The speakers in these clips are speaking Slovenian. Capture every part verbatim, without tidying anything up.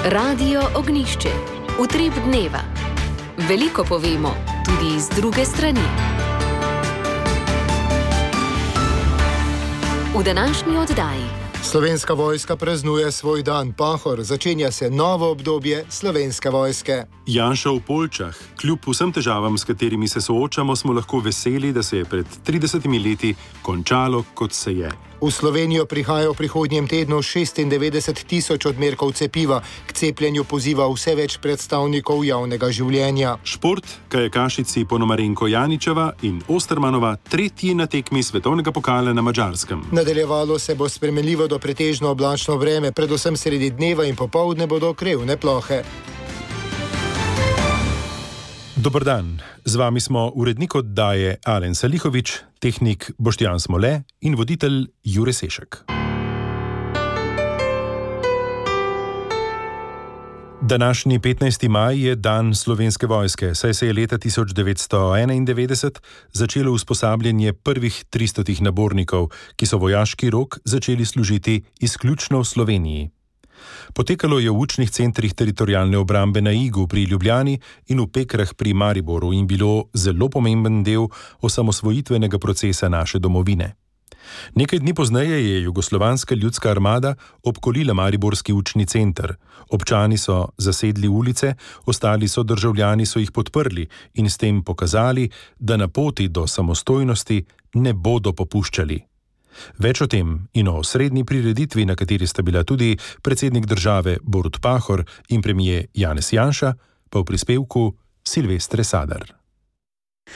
Radio Ognjišče. Utrip dneva. Veliko povemo, tudi iz druge strani. V današnji oddaji. Slovenska vojska praznuje svoj dan Pahor, začenja se novo obdobje Slovenske vojske. Janša v Poljčah. Kljub vsem težavam, s katerimi se soočamo, smo lahko veseli, da se je pred tridesetimi leti končalo, kot se je. V Slovenijo prihaja v prihodnjem tednu šestindevetdeset tisoč odmerkov cepiva. K cepljenju poziva vse več predstavnikov javnega življenja. Šport, kajakašici Ponomarenko Janičeva in Ostermanova tretji na tekmi svetovnega pokala na Madžarskem. Nadaljevalo se bo spremenljivo do pretežno oblačno vreme, predvsem sredi dneva in popoldne bodo krevne plohe. Dober dan, z vami smo urednik oddaje Alen Salihovič, tehnik Boštjan Smole in voditelj Jure Sešek. Današnji petnajsti maj je dan Slovenske vojske, saj se je leta tisoč devetsto enaindevetdeset začelo usposabljanje prvih tristotih nabornikov, ki so vojaški rok začeli služiti izključno v Sloveniji. Potekalo je v učnih centrih teritorialne obrambe na Igu pri Ljubljani in v Pekrah pri Mariboru in bilo zelo pomemben del osamosvojitvenega procesa naše domovine. Nekaj dni pozneje je Jugoslovanska ljudska armada obkolila mariborski učni center. Občani so zasedli ulice, ostali so državljani so jih podprli in s tem pokazali, da na poti do samostojnosti ne bodo popuščali. Več o tem in o srednji prireditvi, na kateri sta bila tudi predsednik države Borut Pahor in premijer Janez Janša, pa v prispevku Silvestre Sadar.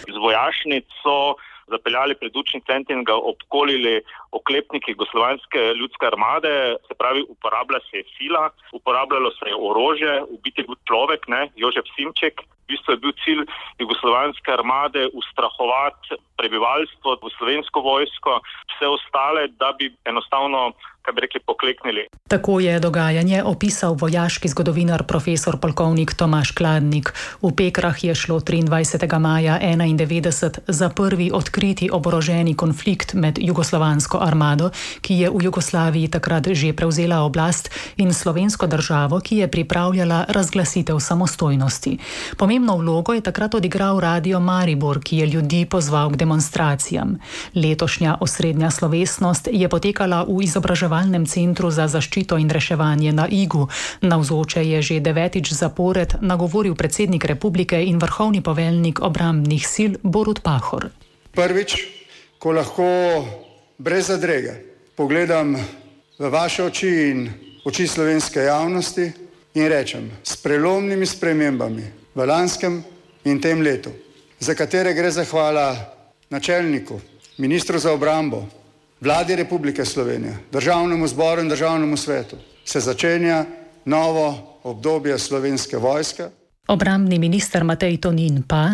Z vojašnic so zapeljali pred učni center in ga obkolili oklepniki Jugoslovanske ljudske armade, se pravi, uporablja se je sila, uporabljalo se je orožje, ubiti je bil človek, ne, Jožef Simček. V bistvu je bil cilj Jugoslovanske armade ustrahovati prebivalstvo v Slovensko vojsko, vse ostale, da bi enostavno, kaj bi rekli, pokleknili. Tako je dogajanje opisal vojaški zgodovinar profesor polkovnik Tomaž Kladnik. V Pekrah je šlo triindvajsetega maja enaindevetdeset za prvi odkriti oboroženi konflikt med jugoslovansko armado, ki je v Jugoslaviji takrat že prevzela oblast, in slovensko državo, ki je pripravljala razglasitev samostojnosti. Pomembno vlogo je takrat odigral Radio Maribor, ki je ljudi pozval k demonstracijam. Letošnja osrednja slovesnost je potekala v izobraževalnem centru za zaščito in reševanje na Igu. Navzoče je že devetič zapored nagovoril predsednik republike in vrhovni poveljnik obrambnih sil Borut Pahor. Prvič, ko lahko brez zadrege pogledam v vaše oči in oči slovenske javnosti in rečem, s prelomnimi spremembami v lanskem in tem letu, za katere gre zahvala načelniku, ministru za obrambo, Vladi Republike Slovenije, Državnemu zboru in Državnemu svetu, se začenja novo obdobje Slovenske vojske. Obrambni minister Matej Tonin pa: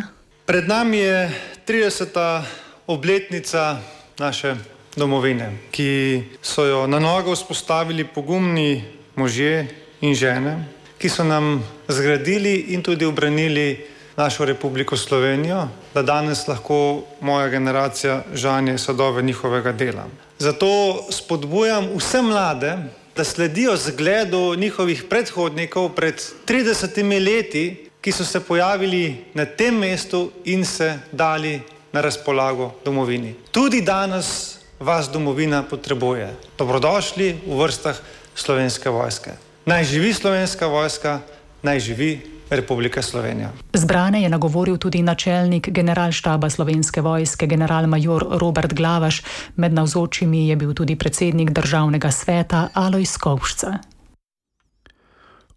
Pred nami je trideseta obletnica naše domovine, ki so jo na nogo vzpostavili pogumni možje in žene, ki so nam zgradili in tudi ubranili našo Republiko Slovenijo, da danes lahko moja generacija žanje sadove njihovega dela. Zato spodbujam vse mlade, da sledijo zgledu njihovih predhodnikov pred tridesetimi leti, ki so se pojavili na tem mestu in se dali na razpolago domovini. Tudi danes vas domovina potrebuje. Dobrodošli v vrstah Slovenske vojske. Naj živi Slovenska vojska, naj živi Republika Slovenija. Zbrane je nagovoril tudi načelnik generalštaba Slovenske vojske, generalmajor Robert Glavaš. Med navzočimi je bil tudi predsednik državnega sveta Alojz Kovšca.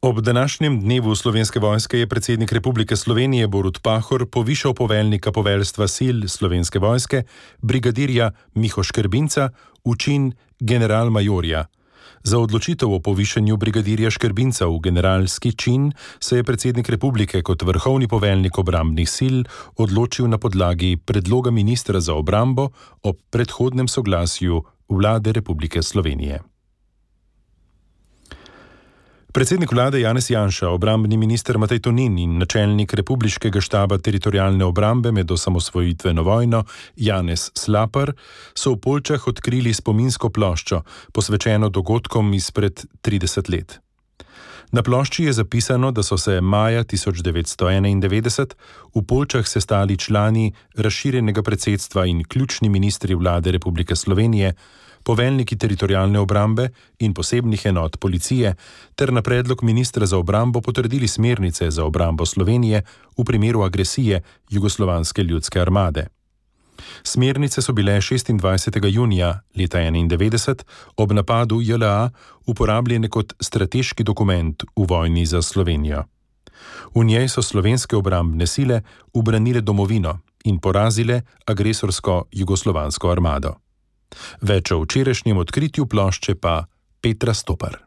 Ob današnjem dnevu Slovenske vojske je predsednik Republike Slovenije Borut Pahor povišal poveljnika poveljstva sil Slovenske vojske, brigadirja Miho Škrbinca, v čin generalmajorja. Za odločitev o povišanju brigadirja Škrbinca v generalski čin se je predsednik republike kot vrhovni poveljnik obrambnih sil odločil na podlagi predloga ministra za obrambo ob predhodnem soglasju Vlade Republike Slovenije. Predsednik vlade Janez Janša, obrambni minister Matej Tonin in načelnik republiškega štaba teritorialne obrambe med osamosvojitveno vojno Janez Slapar so v Poljčah odkrili spominsko ploščo, posvečeno dogodkom izpred trideset let. Na plošči je zapisano, da so se maja tisoč devetsto enaindevetdeset v Poljčah sestali člani razširjenega predsedstva in ključni ministri vlade Republike Slovenije, poveljniki teritorialne obrambe in posebnih enot policije, ter na predlog ministra za obrambo potrdili smernice za obrambo Slovenije v primeru agresije Jugoslovanske ljudske armade. Smernice so bile šestindvajsetega junija leta enaindevetdeset ob napadu J L A uporabljene kot strateški dokument v vojni za Slovenijo. V njej so slovenske obrambne sile ubranile domovino in porazile agresorsko jugoslovansko armado. Več o včerajšnjem odkritju plošče pa Petra Stopar.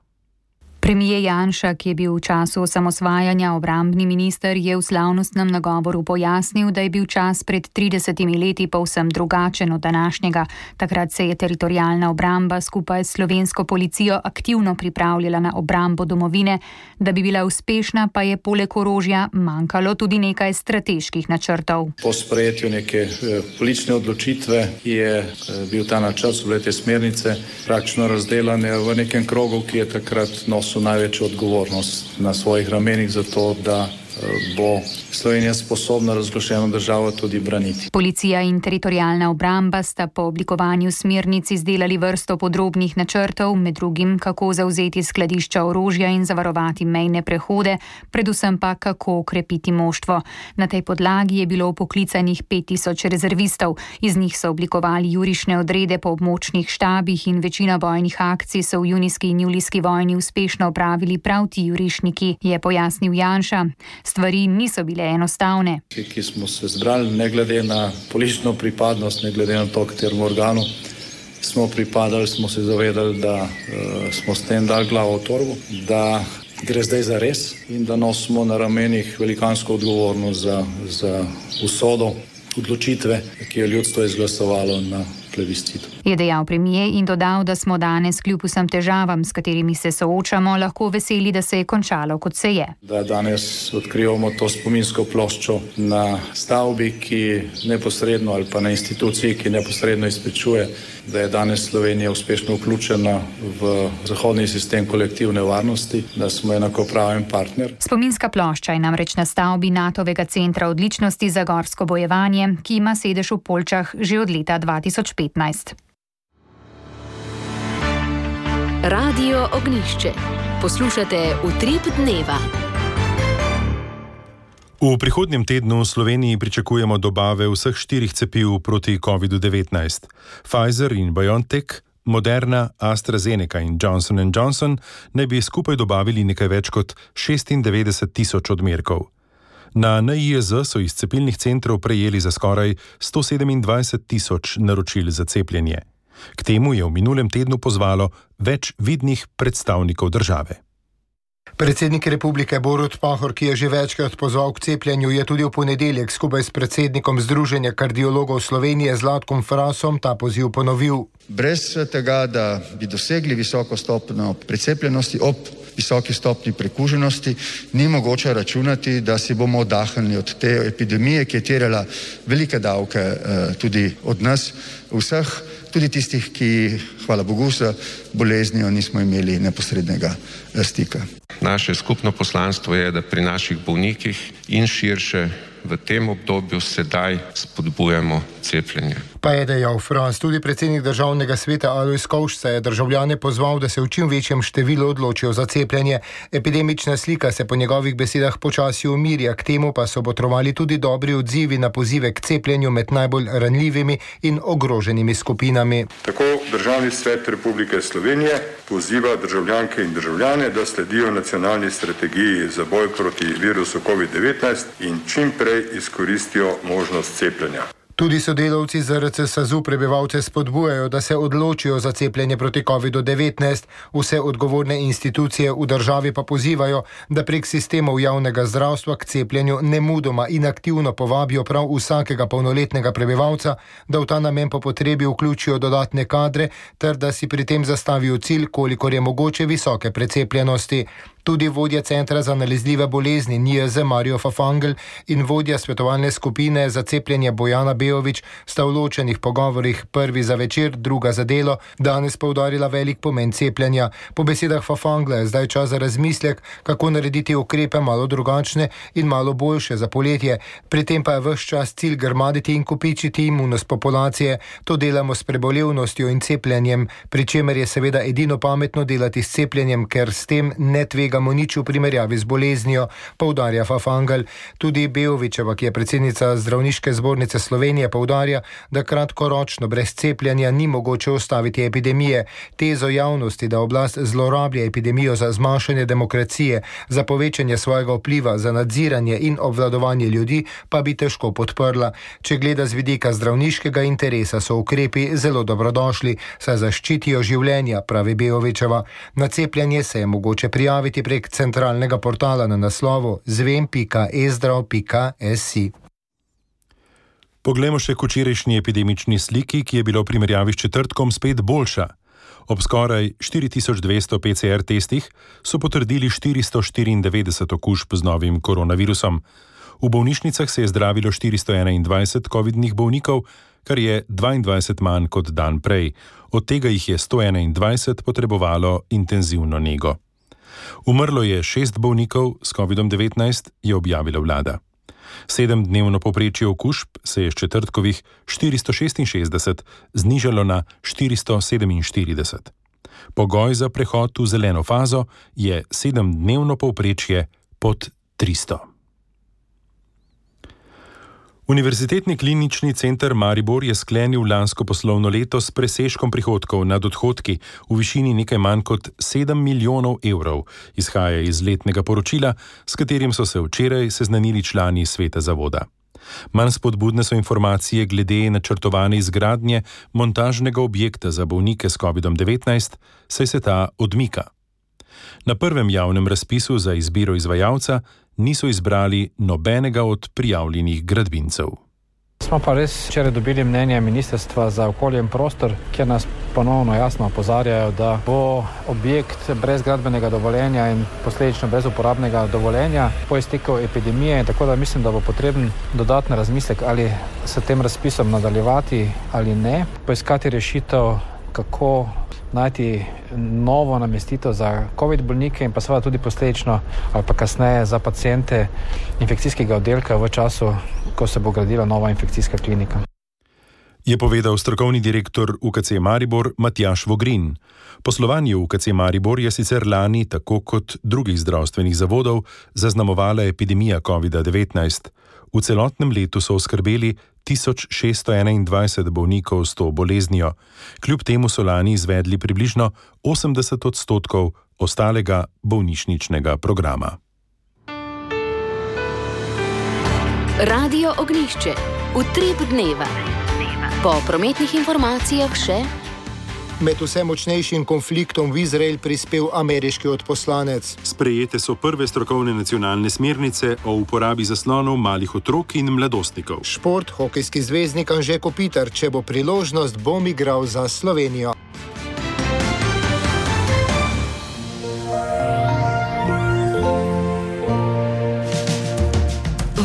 Premijer Janša, ki je bil v času osamosvajanja obrambni minister, je v slavnostnem nagovoru pojasnil, da je bil čas pred tridesetimi leti povsem drugačen od današnjega. Takrat se je teritorialna obramba skupaj s slovensko policijo aktivno pripravljala na obrambo domovine. Da bi bila uspešna, pa je poleg orožja manjkalo tudi nekaj strateških načrtov. Po sprejetju neke eh, politične odločitve je eh, bil ta načrt, so bile te smernice praktično razdelane v nekem krogu, ki je takrat nosil največjo odgovornost na svojih ramenih za to, da bo Slovenija sposobna razglašeno državo tudi braniti. Policija in teritorialna obramba sta po oblikovanju smernic izdelali vrsto podrobnih načrtov, med drugim kako zavzeti skladišča orožja in zavarovati mejne prehode, predvsem pa kako okrepiti moštvo. Na tej podlagi je bilo poklicanih pet tisoč rezervistov. Iz njih so oblikovali jurišne odrede po območnih štabih in večina bojnih akcij so v junijski in julijski vojni uspešno opravili prav ti jurišniki, je pojasnil Janša. Stvari niso bile enostavne. Ki smo se zbrali, ne glede na politično pripadnost, ne glede na to, kateremu organu smo pripadali, smo se zavedali, da uh, smo s tem dali glavo v torbo, da gre zdaj za res in da nosimo na ramenih velikansko odgovornost za, za usodo odločitve, ki je ljudstvo izglasovalo na plebiscitu. Je dejal premijer in dodal, da smo danes kljub vsem težavam, s katerimi se soočamo, lahko veseli, da se je končalo, kot se je. Da danes odkrivamo to spominsko ploščo na stavbi, ki neposredno ali pa na instituciji, ki neposredno izpričuje, da je danes Slovenija uspešno vključena v zahodni sistem kolektivne varnosti, da smo enakopraven partner. Spominska plošča je namreč na stavbi Natovega centra odličnosti za gorsko bojevanje, ki ima sedež v Poljčah že od leta dva tisoč petnajst. Radio Ognjišče. Poslušate Utrip dneva. V prihodnjem tednu v Sloveniji pričakujemo dobave vseh štirih cepiv proti kovidu devetnajst. Pfizer in BioNTech, Moderna, AstraZeneca in Johnson and Johnson naj bi skupaj dobavili nekaj več kot šestindevetdeset tisoč odmerkov. Na N I J Z so iz cepilnih centrov prejeli za skoraj sto sedemindvajset tisoč naročil za cepljenje. K temu je v minulem tednu pozvalo več vidnih predstavnikov države. Predsednik republike Borut Pahor, ki je že večkrat pozval k cepljenju, je tudi v ponedeljek skupaj s predsednikom Združenja kardiologov Slovenije Zlatkom Frasom ta poziv ponovil. Brez tega, da bi dosegli visoko stopnjo precepljenosti ob visoki stopnji prekuženosti, ni mogoče računati, da si bomo oddahnili od te epidemije, ki je terjala velike davke tudi od nas vseh, tudi tistih, ki, hvala Bogu, z boleznijo nismo imeli neposrednega stika. Naše skupno poslanstvo je, da pri naših bolnikih in širše v tem obdobju sedaj spodbujamo cepljenje. Pa je dejal Fras. Tudi predsednik državnega sveta Alojz Kovšca je državljane pozval, da se v čim večjem številu odločijo za cepljenje. Epidemična slika se po njegovih besedah počasi umirja, k temu pa so botrovali tudi dobri odzivi na pozive k cepljenju med najbolj ranljivimi in ogroženimi skupinami. Tako Državni svet Republike Slovenije poziva državljanke in državljane, da sledijo nacionalni strategiji za boj proti virusu covid devetnajst in čim prej izkoristijo možnost cepljenja. Tudi sodelavci Z R C S A Z U prebivalce spodbujajo, da se odločijo za cepljenje proti kovidu devetnajst. Vse odgovorne institucije v državi pa pozivajo, da prek sistemov javnega zdravstva k cepljenju nemudoma in aktivno povabijo prav vsakega polnoletnega prebivalca, da v ta namen po potrebi vključijo dodatne kadre, ter da si pri tem zastavijo cilj, kolikor je mogoče visoke precepljenosti. Tudi vodja Centra za nalezljive bolezni N I A Z Mario Fafangel in vodja svetovalne skupine za cepljenje Bojana Beović sta v ločenih pogovorih, prvi za večer, druga za delo, danes poudarila velik pomen cepljenja. Po besedah Fafangla je zdaj čas za razmislek, kako narediti ukrepe malo drugačne in malo boljše za poletje. Pri tem pa je ves čas cilj grmaditi in kopičiti imunost populacije. To delamo s prebolevnostjo in cepljenjem, pri čemer je seveda edino pametno delati s cepljenjem, ker s tem ne tvegamo nič v primerjavi z boleznijo, poudarja Fafangel. Tudi Beovićeva, ki je predsednica Zdravniške zbornice Slovenije, poudarja, da kratkoročno brez cepljenja ni mogoče ustaviti epidemije. Tezo javnosti, da oblast zlorablja epidemijo za zmanjšanje demokracije, za povečanje svojega vpliva, za nadziranje in obvladovanje ljudi, pa bi težko podprla. Če gleda z vidika zdravniškega interesa, so ukrepi zelo dobrodošli, saj zaščitijo življenja, pravi Beovićeva. Na cepljenje se je mogoče prijaviti prek centralnega portala na naslovu zvem pika e zdrav pika es i. Poglejmo še k včerajšnji epidemični sliki, ki je bila v primerjavi s četrtkom spet boljša. Ob skoraj štiri tisoč dvesto P C R testih so potrdili štiristo štiriindevetdeset okužb z novim koronavirusom. V bolnišnicah se je zdravilo štiristo enaindvajset covidnih bolnikov, kar je dvaindvajset manj kot dan prej. Od tega jih je sto enaindvajset potrebovalo intenzivno nego. Umrlo je šest bolnikov s covidom devetnajst, je objavila vlada. Sedemdnevno povprečje okužb se je s četrtkovih štiristo šestinšestdeset znižalo na štiristo sedeminštirideset. Pogoj za prehod v zeleno fazo je sedemdnevno povprečje pod tristo. Univerzitetni klinični center Maribor je sklenil lansko poslovno leto s presežkom prihodkov nad odhodki v višini nekaj manj kot sedem milijonov evrov, izhaja iz letnega poročila, s katerim so se včeraj seznanili člani sveta zavoda. Manj spodbudne so informacije glede načrtovane izgradnje montažnega objekta za bolnike s covidom devetnajst, saj se ta odmika. Na prvem javnem razpisu za izbiro izvajalca niso izbrali nobenega od prijavljenih gradbincev. Smo pa res včeraj dobili mnenje Ministrstva za okolje in prostor, kjer nas ponovno jasno opozarjajo, da bo objekt brez gradbenega dovoljenja in posledično brez uporabnega dovoljenja po izteku epidemije, tako da mislim, da bo potreben dodatni razmislek, ali s tem razpisom nadaljevati ali ne, poiskati rešitev, kako najti novo namestitev za covid bolnike in pa seveda tudi posledično ali pa kasneje za paciente infekcijskega oddelka v času, ko se bo gradila nova infekcijska klinika. Je povedal strokovni direktor U K C Maribor Matjaž Vogrin. Poslovanje U K C Maribor je sicer lani, tako kot drugih zdravstvenih zavodov, zaznamovala epidemija covida devetnajst. V celotnem letu so oskrbeli tisoč šeststo enaindvajset bolnikov s to boleznijo. Kljub temu so lani izvedli približno osemdeset odstotkov ostalega bolnišničnega programa. Radio Ognjišče. Utrip dneva. Po prometnih informacijah še... Med vse močnejšim konfliktom v Izrael prispel ameriški odposlanec. Sprejete so prve strokovne nacionalne smernice o uporabi zaslonov malih otrok in mladostnikov. Šport, hokejski zvezdnik Anže Kopitar, če bo priložnost, bom igral za Slovenijo.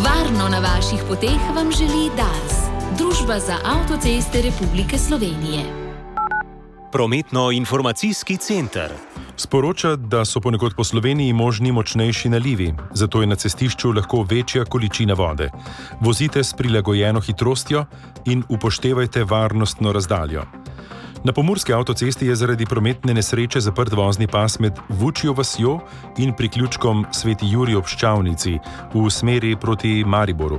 Varno na vaših poteh vam želi Dars, Družba za avtoceste Republike Slovenije. Prometno-informacijski center sporoča, da so ponekod po Sloveniji možni močnejši nalivi, zato je na cestišču lahko večja količina vode. Vozite s prilagojeno hitrostjo in upoštevajte varnostno razdaljo. Na pomurski avtocesti je zaradi prometne nesreče zaprt vozni pas med Vučjo vasjo in priključkom Sveti Jurij ob Ščavnici v smeri proti Mariboru.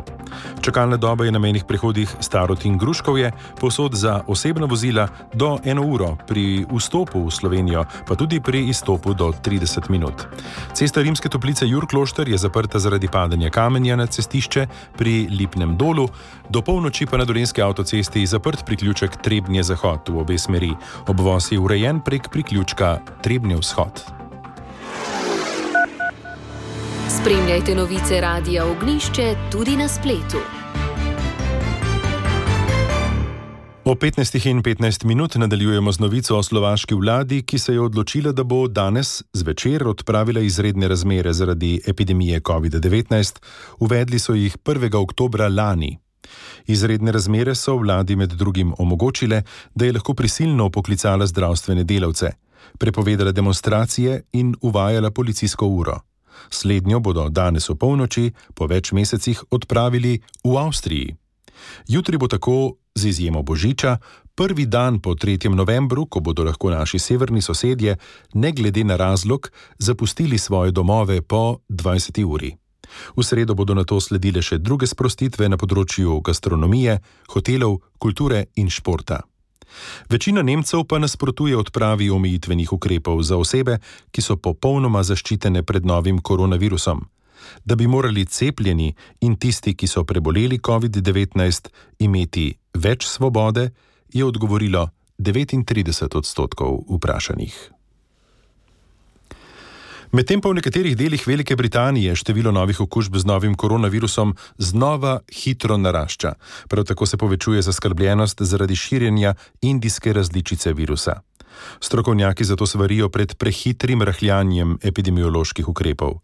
Čakalna doba je na mejnih prehodih Starod in Gruškovje, povsod za osebna vozila do eno uro, pri vstopu v Slovenijo pa tudi pri izstopu do trideset minut. Cesta Rimske Toplice Jurklošter je zaprta zaradi padanja kamenja na cestišče pri Lipnem dolu, do polnoči pa na Dolenjski avtocesti zaprt priključek Trebnje zahod v obe smeri. Obvoz je urejen prek priključka Trebnje vzhod. Spremljajte novice Radia Ognjišče tudi na spletu. Ob petnajstih in petnajst minut nadaljujemo z novico o slovaški vladi, ki se je odločila, da bo danes zvečer odpravila izredne razmere zaradi epidemije covid devetnajst. Uvedli so jih prvega oktobra lani. Izredne razmere so vladi med drugim omogočile, da je lahko prisilno poklicala zdravstvene delavce, prepovedala demonstracije in uvajala policijsko uro. Slednjo bodo danes v polnoči po več mesecih odpravili v Avstriji. Jutri bo tako, z izjemo Božiča, prvi dan po tretjem novembru, ko bodo lahko naši severni sosedje, ne glede na razlog, zapustili svoje domove po dvajseti uri. V sredo bodo nato sledile še druge sprostitve na področju gastronomije, hotelov, kulture in športa. Večina Nemcev pa nasprotuje odpravi omejitvenih ukrepov za osebe, ki so popolnoma zaščitene pred novim koronavirusom. Da bi morali cepljeni in tisti, ki so preboleli covid devetnajst, imeti več svobode, je odgovorilo devetintrideset odstotkov vprašanih. Medtem pa v nekaterih delih Velike Britanije število novih okužb z novim koronavirusom znova hitro narašča. Prav tako se povečuje zaskrbljenost zaradi širjenja indijske različice virusa. Strokovnjaki zato svarijo pred prehitrim rahljanjem epidemioloških ukrepov.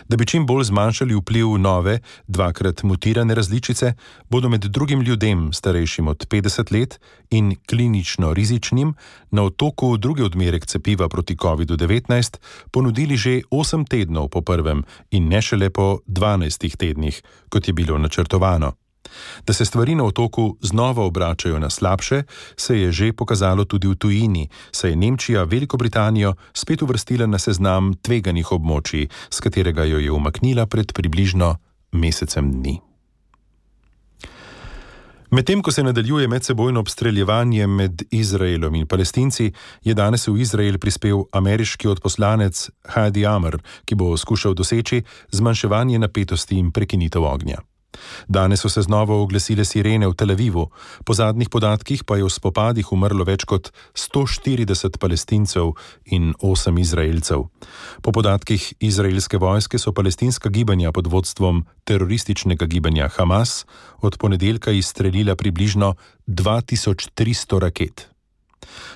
Da bi čim bolj zmanjšali vpliv nove, dvakrat mutirane različice, bodo med drugim ljudem, starejšim od petdeset let in klinično rizičnim, na otoku drugi odmerek cepiva proti covid devetnajst ponudili že osem tednov po prvem in ne šele po dvanajstih tednih, kot je bilo načrtovano. Da se stvari na otoku znova obračajo na slabše, se je že pokazalo tudi v tujini, saj je Nemčija Veliko Britanijo spet uvrstila na seznam tveganih območij, s katerega jo je umaknila pred približno mesecem dni. Medtem ko se nadaljuje medsebojno obstreljevanje med Izraelom in Palestinci, je danes v Izrael prispel ameriški odposlanec Hadi Amr, ki bo skušal doseči zmanjševanje napetosti in prekinitev ognja. Danes so se znova oglasile sirene v Tel Avivu, po zadnjih podatkih pa je v spopadih umrlo več kot sto štirideset Palestincev in osem Izraelcev. Po podatkih izraelske vojske so palestinska gibanja pod vodstvom terorističnega gibanja Hamas od ponedeljka izstrelila približno dva tisoč tristo raket.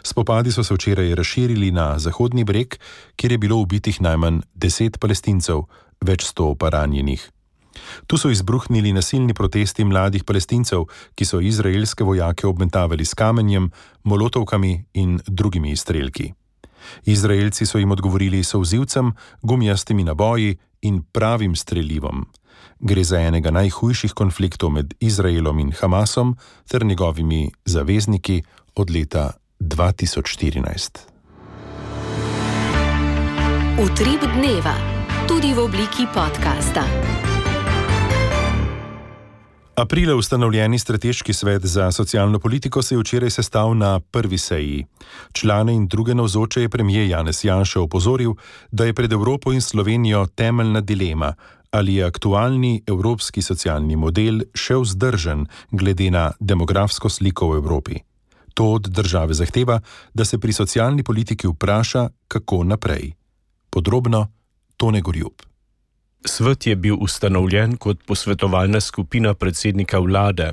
Spopadi so se včeraj razširili na Zahodni breg, kjer je bilo ubitih najmanj deset Palestincev, več sto pa ranjenih. Tu so izbruhnili nasilni protesti mladih Palestincev, ki so izraelske vojake obmetavali s kamenjem, molotovkami in drugimi izstrelki. Izraelci so jim odgovorili solzivcem, gumijastimi naboji in pravim strelivom. Gre za enega najhujših konfliktov med Izraelom in Hamasom ter njegovimi zavezniki od leta dva tisoč štirinajst. Utrip dneva, tudi v obliki podcasta. Aprila ustanovljeni strateški svet za socialno politiko se je včeraj sestal na prvi seji. Člane in druge navzoče je premijer Janez Janša opozoril, da je pred Evropo in Slovenijo temeljna dilema, ali je aktualni evropski socialni model še vzdržen glede na demografsko sliko v Evropi. To od države zahteva, da se pri socialni politiki vpraša, kako naprej. Podrobno Tone Gorjup. Svet je bil ustanovljen kot posvetovalna skupina predsednika vlade.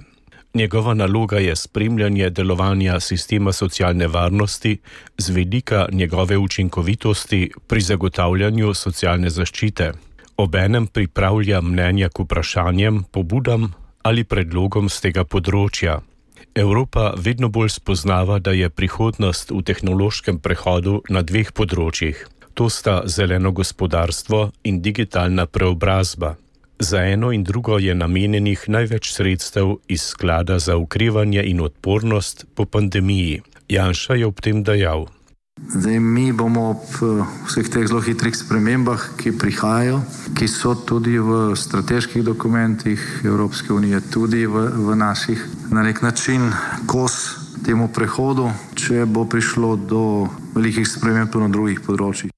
Njegova naloga je spremljanje delovanja sistema socialne varnosti z vidika njegove učinkovitosti pri zagotavljanju socialne zaščite. Obenem pripravlja mnenja k vprašanjem, pobudam ali predlogom z tega področja. Evropa vedno bolj spoznava, da je prihodnost v tehnološkem prehodu na dveh področjih. To sta zeleno gospodarstvo in digitalna preobrazba. Za eno in drugo je namenjenih največ sredstev iz sklada za okrevanje in odpornost po pandemiji. Janša je ob tem dejal. Zdaj, mi bomo ob vseh teh zelo hitrih spremembah, ki prihajajo, ki so tudi v strateških dokumentih Evropske unije, tudi v, v naših, na nek način kos temu prehodu, če bo prišlo do velikih sprememb na drugih področjih.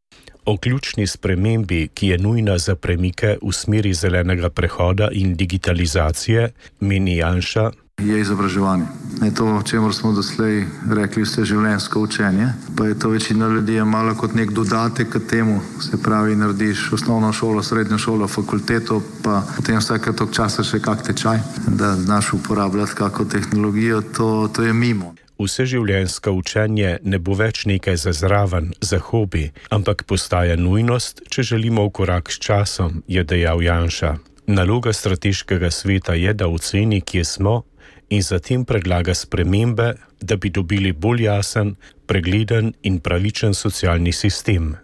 O ključni spremembi, ki je nujna za premike v smeri zelenega prehoda in digitalizacije, meni Janša, je izobraževanje. Je to, o čemer smo doslej rekli, vse življenjsko učenje, pa je to večina ljudi malo kot nek dodatek k temu, se pravi, narediš osnovno šolo, srednjo šolo, fakulteto, pa potem vsake toliko časa še kak tečaj, da znaš uporabljati kako tehnologijo, to, to je mimo. vseživljenjsko učenje ne bo več nekaj za zraven, za hobi, ampak postaja nujnost, če želimo v korak s časom, je dejal Janša. Naloga strateškega sveta je, da oceni, kje smo, in zatem predlaga spremembe, da bi dobili bolj jasen, pregleden in pravičen socialni sistem.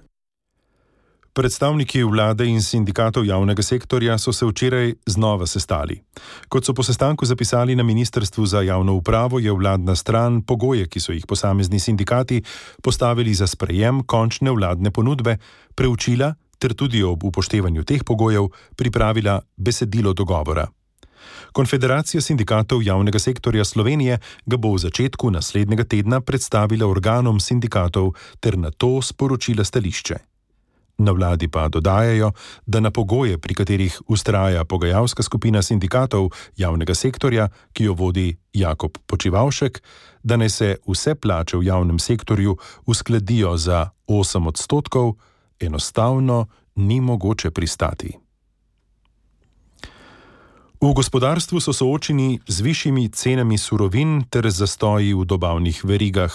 Predstavniki vlade in sindikatov javnega sektorja so se včeraj znova sestali. Kot so po sestanku zapisali na Ministrstvu za javno upravo, je vladna stran pogoje, ki so jih posamezni sindikati postavili za sprejem končne vladne ponudbe, preučila ter tudi ob upoštevanju teh pogojev pripravila besedilo dogovora. Konfederacija sindikatov javnega sektorja Slovenije ga bo v začetku naslednjega tedna predstavila organom sindikatov ter nato sporočila stališče. Na vladi pa dodajajo, da na pogoje, pri katerih vztraja pogajalska skupina sindikatov javnega sektorja, ki jo vodi Jakob Počivavšek, da naj se vse plače v javnem sektorju uskladijo za osem odstotkov, enostavno ni mogoče pristati. V gospodarstvu so soočeni z višjimi cenami surovin ter zastoji v dobavnih verigah.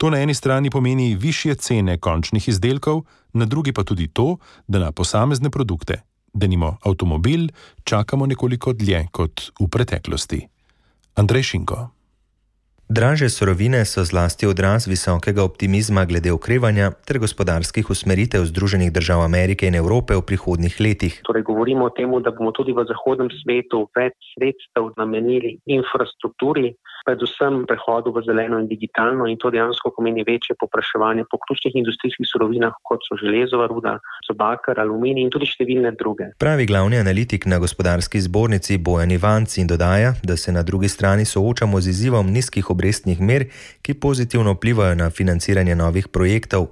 To na eni strani pomeni višje cene končnih izdelkov, na drugi pa tudi to, da na posamezne produkte, denimo avtomobil, čakamo nekoliko dlje kot v preteklosti. Andrej Šinko. Dražje surovine so zlasti odraz visokega optimizma glede okrevanja ter gospodarskih usmeritev Združenih držav Amerike in Evrope v prihodnjih letih. Torej govorimo o tem, da bomo tudi v zahodnem svetu več sredstev namenili infrastrukturi, predvsem prehodu v zeleno in digitalno, in to dejansko pomeni večje povpraševanje po ključnih industrijskih surovinah, kot so železova ruda, so bakar, aluminij in tudi številne druge. Pravi glavni analitik na gospodarski zbornici Bojan Ivanc in dodaja, da se na drugi strani soočamo z izzivom nizkih obrestnih mer, ki pozitivno vplivajo na financiranje novih projektov.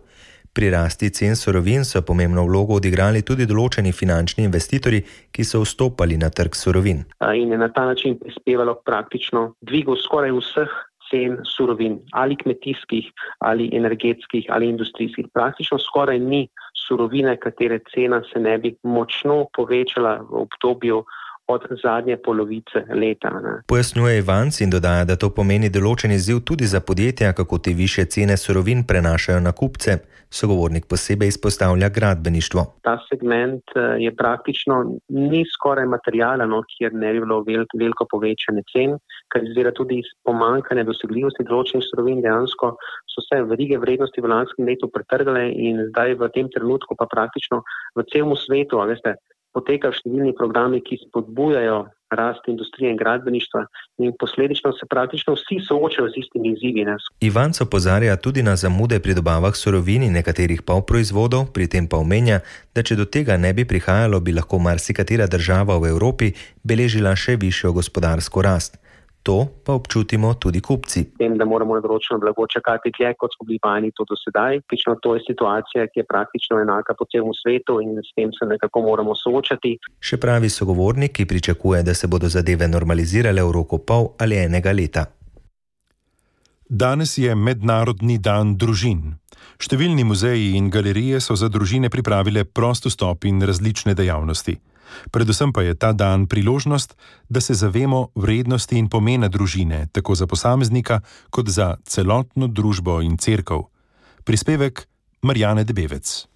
Pri rasti cen surovin so pomembno vlogo odigrali tudi določeni finančni investitorji, ki so vstopali na trg surovin. In je na ta način prispevalo praktično dvigu skoraj vseh cen surovin, ali kmetijskih, ali energetskih, ali industrijskih. Praktično skoraj ni surovine, katere cena se ne bi močno povečala v obdobju od zadnje polovice leta. Ne. Pojasnjuje Ivanc in dodaja, da to pomeni določen izziv tudi za podjetja, kako te višje cene surovin prenašajo na kupce. Sogovornik posebej izpostavlja gradbeništvo. Ta segment je praktično ni skoraj materialen, kjer ne bi bilo veliko, veliko povečane cen, kar izvira tudi iz pomanjkanja dosegljivosti določenih surovin. Dejansko so se verige vrednosti v lanskem letu pretrgale in zdaj v tem trenutku pa praktično v celem svetu, a veste, potekajo številni programi, ki spodbujajo rast industrije in gradbeništva in posledično se praktično vsi soočajo z istimi izzivi. Ivanc opozarja tudi na zamude pri dobavah surovin in nekaterih polproizvodov, pri tem pa omenja, da če do tega ne bi prihajalo, bi lahko marsikatera država v Evropi beležila še višjo gospodarsko rast. To pa občutimo tudi kupci. Tem, da moramo na določeno blago čakati dlje, kot smo bili vajeni to do sedaj. Praktično to je situacija, ki je praktično enaka po celem svetu in s tem se nekako moramo soočati. Še pravi sogovornik, ki pričakuje, da se bodo zadeve normalizirale v roku pol ali enega leta. Danes je Mednarodni dan družin. Številni muzeji in galerije so za družine pripravile prost vstop in različne dejavnosti. Predvsem pa je ta dan priložnost, da se zavemo vrednosti in pomena družine, tako za posameznika, kot za celotno družbo in cerkev. Prispevek Marjane Debevec.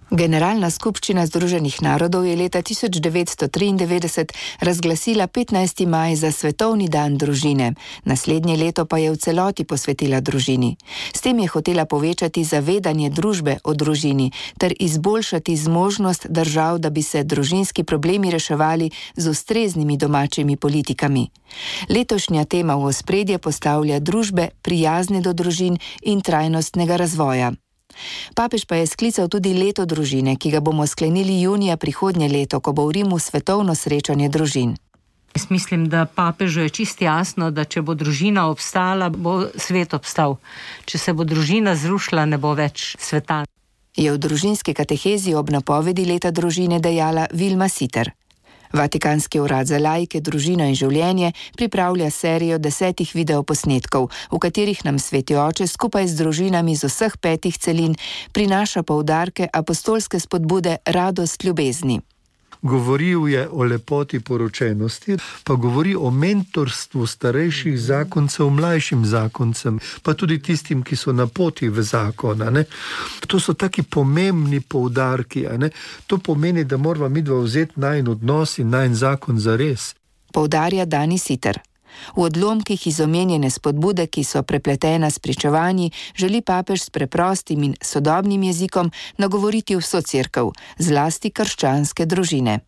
Generalna skupščina Združenih narodov je leta tisoč devetsto triindevetdeset razglasila petnajsti maj za Svetovni dan družine. Naslednje leto pa je v celoti posvetila družini. S tem je hotela povečati zavedanje družbe o družini ter izboljšati zmožnost držav, da bi se družinski problemi reševali z ustreznimi domačimi politikami. Letošnja tema v ospredje postavlja družbe prijazne do družin in trajnostnega razvoja. Papež pa je sklical tudi leto družine, ki ga bomo sklenili junija prihodnje leto, ko bo v Rimu svetovno srečanje družin. Jaz mislim, da papežu je čisto jasno, da če bo družina obstala, bo svet obstal. Če se bo družina zrušila, ne bo več sveta. Je v družinski katehezi ob napovedi leta družine dejala Vilma Siter. Vatikanski urad za laike, družino in življenje pripravlja serijo desetih videoposnetkov, v katerih nam Sveti Oče skupaj z družinami z vseh petih celin prinaša poudarke apostolske spodbude radost ljubezni. Govoril je o lepoti poročenosti, pa govori o mentorstvu starejših zakoncev mlajšim zakoncem, pa tudi tistim, ki so na poti v zakon. Ne? To so taki pomembni poudarki. Ne? To pomeni, da moramo midva vzeti najin odnos in najin zakon za res. Poudarja Dani Siter. V odlomkih iz omenjene spodbude, ki so prepletena s pričevanji, želi papež s preprostim in sodobnim jezikom nagovoriti vso cerkev, zlasti krščanske družine.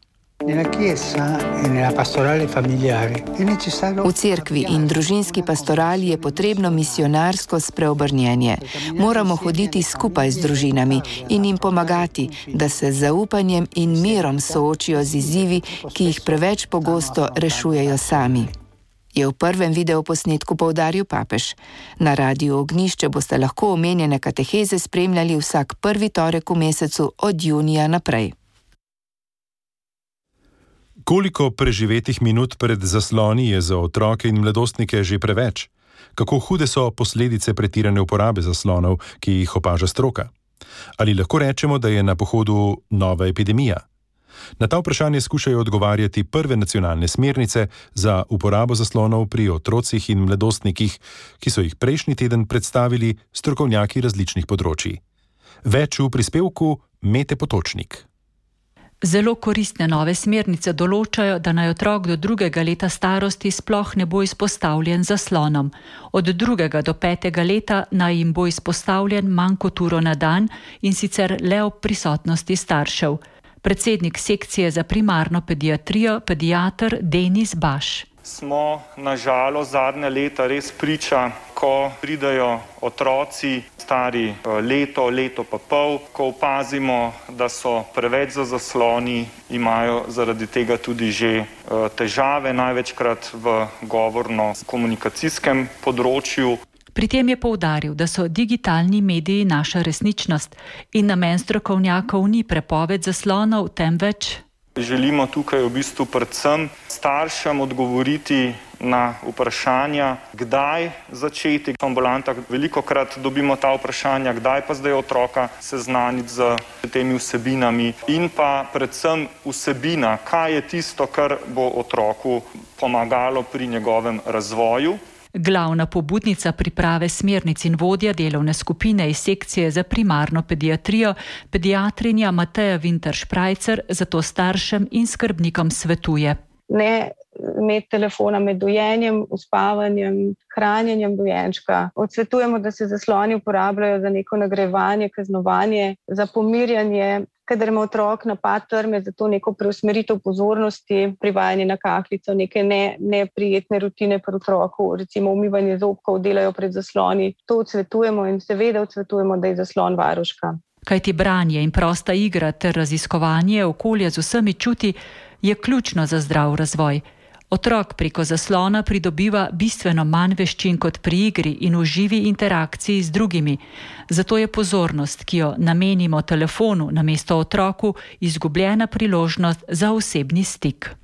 V cerkvi in družinski pastorali je potrebno misionarsko spreobrnjenje. Moramo hoditi skupaj z družinami in jim pomagati, da se z zaupanjem in mirom soočijo z izzivi, ki jih preveč pogosto rešujejo sami. Je v prvem videoposnetku poudaril papež. Na Radiu Ognjišče boste lahko omenjene kateheze spremljali vsak prvi torek v mesecu od junija naprej. Koliko preživetih minut pred zasloni je za otroke in mladostnike že preveč? Kako hude so posledice pretirane uporabe zaslonov, ki jih opaža stroka? Ali lahko rečemo, da je na pohodu nova epidemija? Na ta vprašanje skušajo odgovarjati prve nacionalne smernice za uporabo zaslonov pri otrocih in mladostnikih, ki so jih prejšnji teden predstavili strokovnjaki različnih področij. Več v prispevku Mete Potočnik. Zelo koristne nove smernice določajo, da naj otrok do drugega leta starosti sploh ne bo izpostavljen zaslonom. Od drugega do petega leta naj jim bo izpostavljen manj kot uro na dan in sicer le ob prisotnosti staršev. Predsednik sekcije za primarno pediatrijo, pediater Denis Baš. Smo na žalost zadnja leta res priča, ko pridajo otroci stari leto, leto pa pol, ko opazimo, da so preveč za zasloni, imajo zaradi tega tudi že težave, največkrat v govorno-komunikacijskem področju. Pri tem je poudaril, da so digitalni mediji naša resničnost in namen strokovnjakov ni prepoved zaslonov, temveč želimo tukaj v bistvu predvsem staršem odgovoriti na vprašanja, kdaj začeti v ambulantah. Velikokrat dobimo ta vprašanja, kdaj pa zdaj otroka seznaniti z temi vsebinami in pa predvsem vsebina, kaj je tisto, kar bo otroku pomagalo pri njegovem razvoju. Glavna pobudnica priprave smernic in vodja delovne skupine iz sekcije za primarno pediatrijo, pediatrinja Mateja Vinter-Šprajcer, zato staršem in skrbnikom svetuje. Ne imeti telefona med dojenjem, uspavanjem, hranjenjem dojenčka. Odsvetujemo, da se zasloni uporabljajo za neko nagrajevanje, kaznovanje, za pomirjanje, kadar ima otrok napad trme, za to neko preusmeritev pozornosti, privajanje na kahlico, neke ne, neprijetne rutine pri otroku, recimo umivanje zobkov, delajo pred zasloni. To odsvetujemo in seveda odsvetujemo, da je zaslon varuška. Kajti branje in prosta igra ter raziskovanje okolja z vsemi čuti je ključno za zdrav razvoj. Otrok preko zaslona pridobiva bistveno manj veščin kot pri igri in v živi interakciji z drugimi. Zato je pozornost, ki jo namenimo telefonu namesto otroku, izgubljena priložnost za osebni stik.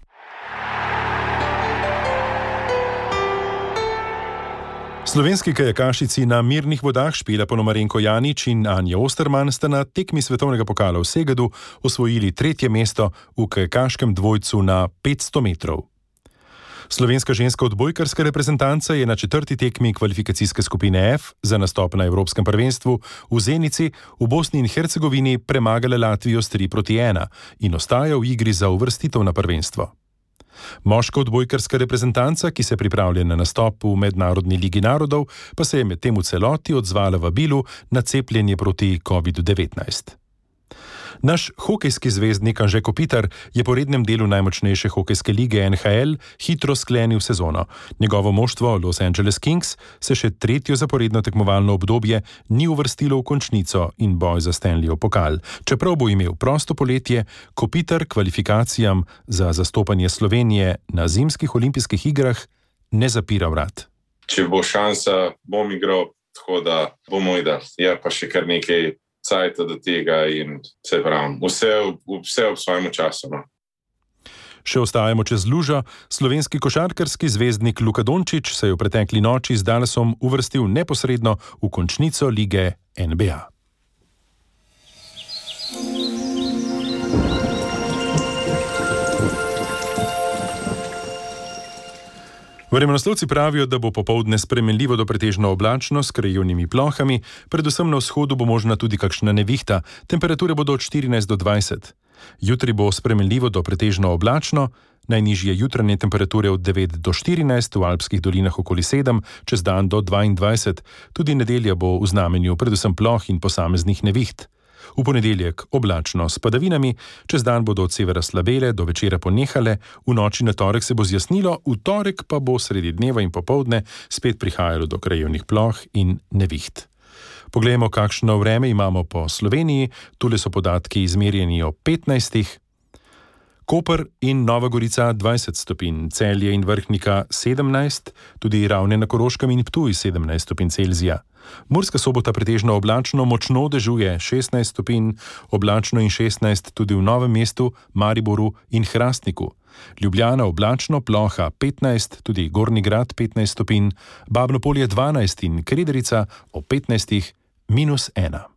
Slovenski kajakašici na mirnih vodah Špela Ponomarenko Janič in Anja Osterman sta na tekmi svetovnega pokala v Segeddu osvojili tretje mesto v kajakaškem dvojcu na petsto metrov. Slovenska ženska odbojkarska reprezentanca je na četrti tekmi kvalifikacijske skupine F za nastop na Evropskem prvenstvu v Zenici v Bosni in Hercegovini premagala Latvijo s tri proti ena in ostaja v igri za uvrstitev na prvenstvo. Moška odbojkarska reprezentanca, ki se pripravlja na nastop v Mednarodni ligi narodov, pa se je medtem v celoti odzvala vabilu na cepljenje proti kovidu devetnajst. Naš hokejski zvezdnik Anže Kopitar je po rednem delu najmočnejše hokejske lige N H L hitro sklenil sezono. Njegovo moštvo Los Angeles Kings se še tretjo zaporedno tekmovalno obdobje ni uvrstilo v končnico in boj za Stanleyov pokal. Čeprav bo imel prosto poletje, Kopitar kvalifikacijam za zastopanje Slovenije na zimskih olimpijskih igrah ne zapira vrat. Če bo šansa, bom igral, tako da bomo videli. Je pa še kar nekaj cajta do tega in se pravim, vse, vse ob svojem času. No. Še ostajamo čez lužo. Slovenski košarkarski zvezdnik Luka Dončić se je v pretekli noči z Dallasom uvrstil neposredno v končnico lige N B A. Vremenoslovci pravijo, da bo popoldne spremenljivo do pretežno oblačno s krajevnimi plohami, predvsem na vzhodu bo možna tudi kakšna nevihta, temperature bodo od štirinajst do dvajset. Jutri bo spremenljivo do pretežno oblačno, najnižje jutranje temperature od devet do štirinajst, v alpskih dolinah okoli sedem, čez dan do dvaindvajset. Tudi nedelja bo v znamenju predvsem ploh in posameznih neviht. V ponedeljek oblačno s padavinami, čez dan bodo od severa slabele, do večera ponehale, v noči na torek se bo zjasnilo, v torek pa bo sredi dneva in popoldne spet prihajalo do krajevnih ploh in neviht. Poglejmo, kakšno vreme imamo po Sloveniji. Tule so podatki izmerjeni o petnajstih. Koper in Nova Gorica dvajset stopinj, Celje in Vrhnika sedemnajst, tudi Ravne na Koroškem in Ptuj sedemnajst stopinj Celzija. Murska Sobota pretežno oblačno, močno dežuje šestnajst stopinj, oblačno in šestnajst tudi v Novem mestu, Mariboru in Hrastniku. Ljubljana oblačno, ploha petnajst, tudi Gornji Grad petnajst stopinj, Babno Polje dvanajst in Krederica o petnajstih minus ena.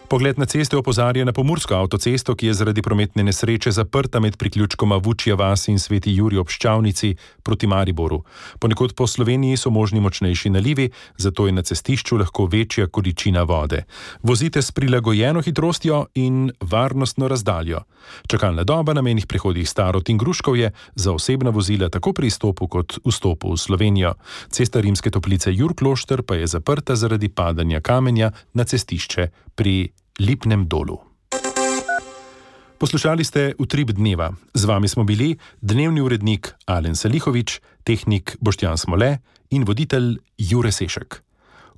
Pogled na ceste opozarja na pomursko avtocesto, ki je zaradi prometne nesreče zaprta med priključkoma Vučja vas in Sveti Jurij ob Ščavnici proti Mariboru. Ponekod po Sloveniji so možni močnejši nalivi, zato je na cestišču lahko večja količina vode. Vozite s prilagojeno hitrostjo in varnostno razdaljo. Čakalna doba na mejnih prehodih Starod in Gruškovje za osebna vozila tako pri izstopu kot vstopu v Slovenijo. Cesta Rimske Toplice Jurklošter pa je zaprta zaradi padanja kamenja na cestišče pri Lipnem dolu. Poslušali ste Utrip dneva. Z vami smo bili dnevni urednik Alen Salihovič, tehnik Boštjan Smole in voditelj Jure Sešek.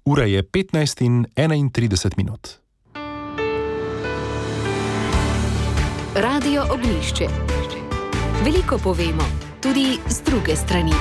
Ura je petnajst in enaintrideset minut. Radio Ognjišče. Veliko povemo, tudi z druge strani.